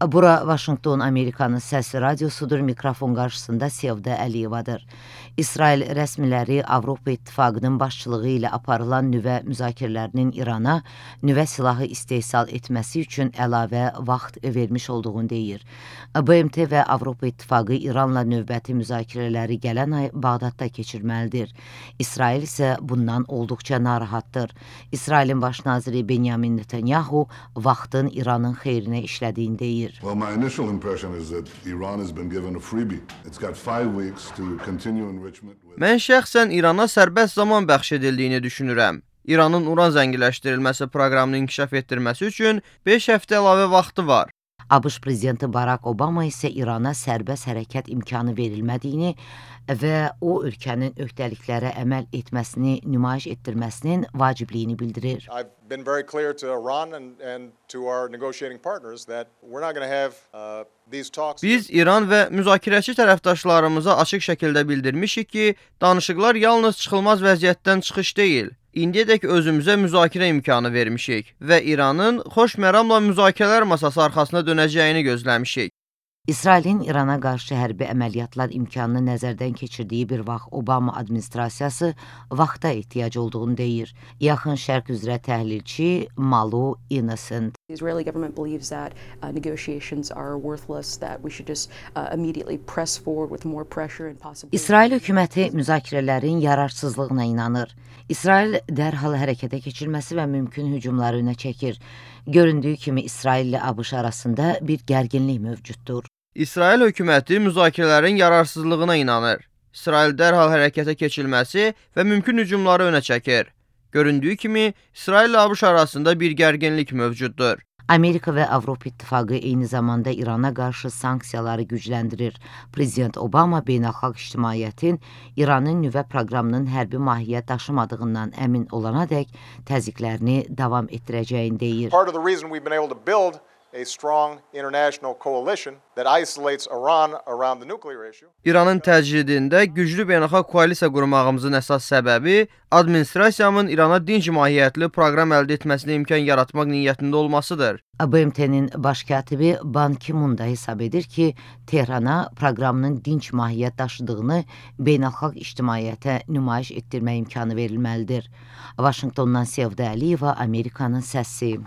Bura Vaşinqton Amerikanın səs radiosudur, mikrofon qarşısında Sevda Əliyevadır. İsrail rəsmiləri Avropa İttifaqının başçılığı ilə aparılan nüvə müzakirələrinin İrana nüvə silahı istehsal etməsi üçün əlavə vaxt vermiş olduğunu deyir. BMT və Avropa İttifaqı İranla növbəti müzakirələri gələn ay Bağdadda keçirməlidir. İsrail isə bundan olduqca narahatdır. İsrailin baş naziri Benjamin Netanyahu vaxtın İranın xeyrinə işlədiyini deyir. Well, my initial impression is that Iran has been given a freebie. It's got 5 weeks to continue enrichment. Mən şəxsən İrana sərbəst zaman bəxş edildiyini düşünürəm. İranın uran zənginləşdirilməsi proqramını inkişaf etdirməsi üçün 5 həftə əlavə vaxtı var. ABŞ prezidenti Barack Obama isə İrana sərbəst hərəkət imkanı verilmədiyini və o ölkənin öhdəliklərə əməl etməsini nümayiş etdirməsinin vacibliyini bildirir. I've been very clear to Iran and to our negotiating partners that we're not going to have these talks. Biz İran və müzakirəçi tərəfdaşlarımıza açıq şəkildə bildirmişik ki, danışıqlar yalnız çıxılmaz vəziyyətdən çıxış deyil. İndiyədək özümüzə müzakirə imkanı vermişik və İranın xoş məramla müzakirələr masası arxasına dönəcəyini gözləmişik. İsrailin İrana qarşı hərbi əməliyyatlar imkanını nəzərdən keçirdiyi bir vaxt Obama administrasiyası vaxta ehtiyac olduğunu deyir. Yaxın Şərq üzrə təhlilçi Malu Innocent. The Israeli government believes that negotiations are worthless, that we should just immediately press forward with more pressure and possibly... İsrail hökuməti müzakirələrin yararsızlığına inanır. İsrail dərhal hərəkətə keçirməsi və mümkün hücumları önə çəkir. Göründüyü kimi İsrail ilə ABŞ arasında bir gərginlik mövcuddur. İsrail hökuməti müzakirələrin yararsızlığına inanır. İsrail dərhal hərəkətə keçilməsi və mümkün hücumları önə çəkir. Göründüyü kimi İsrail ilə ABŞ arasında bir gərginlik mövcuddur. Amerika və Avropa İttifaqı eyni zamanda İrana qarşı sanksiyaları gücləndirir. Prezident Obama beynəlxalq ictimaiyyətin İranın nüvə proqramının hərbi mahiyyət daşımadığından əmin olanadək təzyiqlərini davam etdirəcəyini deyir. Part of the reason we've been able to build a strong international coalition that isolates Iran around the nuclear issue. İranın təcridində güclü beynəlxalq koalisiya qurmağımızın əsas səbəbi administrasiyamın İrana dinc mahiyyətli proqram əldə etməsinə imkan yaratmaq niyyətində olmasıdır. BMT-nin baş katibi Ban Ki-moon da hesab edir ki, Tehrana proqramının dinc mahiyyət daşıdığını beynəlxalq ictimaiyyətə nümayiş etdirmə imkanı verilməlidir. Vaşinqtondan Sevda Əliyeva, Amerikanın səsi.